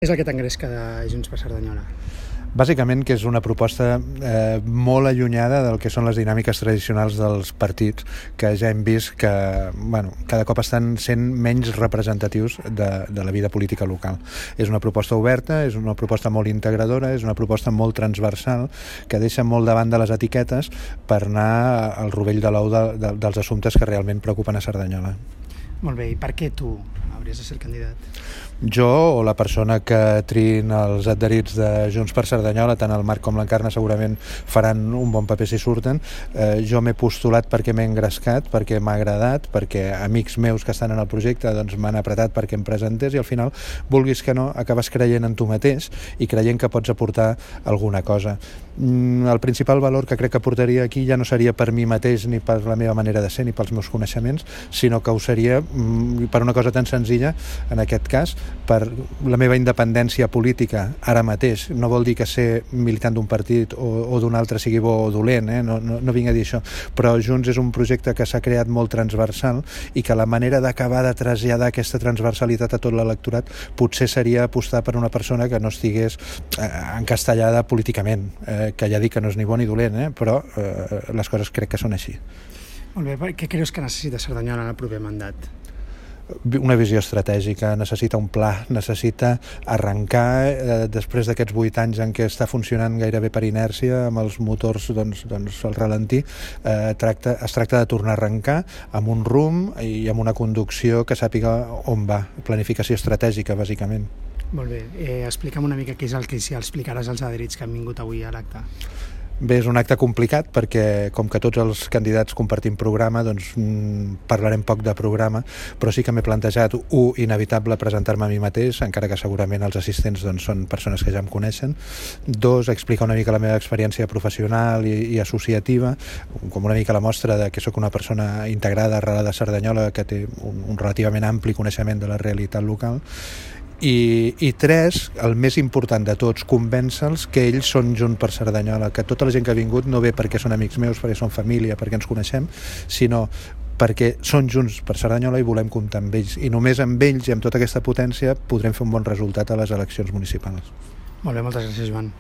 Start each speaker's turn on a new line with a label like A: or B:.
A: És el que t'engresca de Junts per Cerdanyola?
B: Bàsicament que és una proposta molt allunyada del que són les dinàmiques tradicionals dels partits, que ja hem vist que cada cop estan sent menys representatius de la vida política local. És una proposta oberta, és una proposta molt integradora, és una proposta molt transversal, que deixa molt davant de les etiquetes per anar al rovell de l'ou dels assumptes que realment preocupen a Cerdanyola.
A: Molt bé, i per què tu hauries de ser el candidat?
B: Jo o la persona que triïn els adherits de Junts per Cerdanyola, tant el Marc com l'Encarna segurament faran un bon paper si surten. Jo m'he postulat perquè m'he engrescat, perquè m'ha agradat, perquè amics meus que estan en el projecte m'han apretat perquè em presentés, i al final, vulguis que no, acabes creient en tu mateix i creient que pots aportar alguna cosa. El principal valor que crec que aportaria aquí ja no seria per mi mateix ni per la meva manera de ser ni pels meus coneixements, sinó que ho seria per una cosa tan senzilla, en aquest cas, per la meva independència política ara mateix. No vol dir que ser militant d'un partit o d'un altre sigui bo o dolent, no vinc a dir això, però Junts és un projecte que s'ha creat molt transversal i que la manera d'acabar de traslladar aquesta transversalitat a tot l'electorat potser seria apostar per una persona que no estigués encastellada políticament, que ja dic que no és ni bo ni dolent, però les coses crec que són així.
A: Molt bé, què creus que necessita Cerdanyola en el proper mandat?
B: Una visió estratègica, necessita un pla, necessita arrencar després d'aquests 8 anys en què està funcionant gairebé per inèrcia amb els motors al ralentí. Es tracta de tornar a arrencar amb un rumb i amb una conducció que sàpiga on va, planificació estratègica bàsicament.
A: Molt bé, explica'm una mica què és el que explicaràs als adherits que han vingut avui a l'acte.
B: Bé, és un acte complicat perquè, com que tots els candidats compartim programa, parlarem poc de programa, però sí que m'he plantejat, inevitable presentar-me a mi mateix, encara que segurament els assistents són persones que ja em coneixen. 2, explicar una mica la meva experiència professional i associativa, com una mica la mostra de que sóc una persona integrada, arrelada a Cerdanyola, que té un relativament ampli coneixement de la realitat local. I 3, el més important de tots, convèncer-los que ells són Junts per Cerdanyola, que tota la gent que ha vingut no ve perquè són amics meus, perquè són família, perquè ens coneixem, sinó perquè són Junts per Cerdanyola i volem comptar amb ells. I només amb ells i amb tota aquesta potència podrem fer un bon resultat a les eleccions municipals.
A: Molt bé, moltes gràcies, Joan.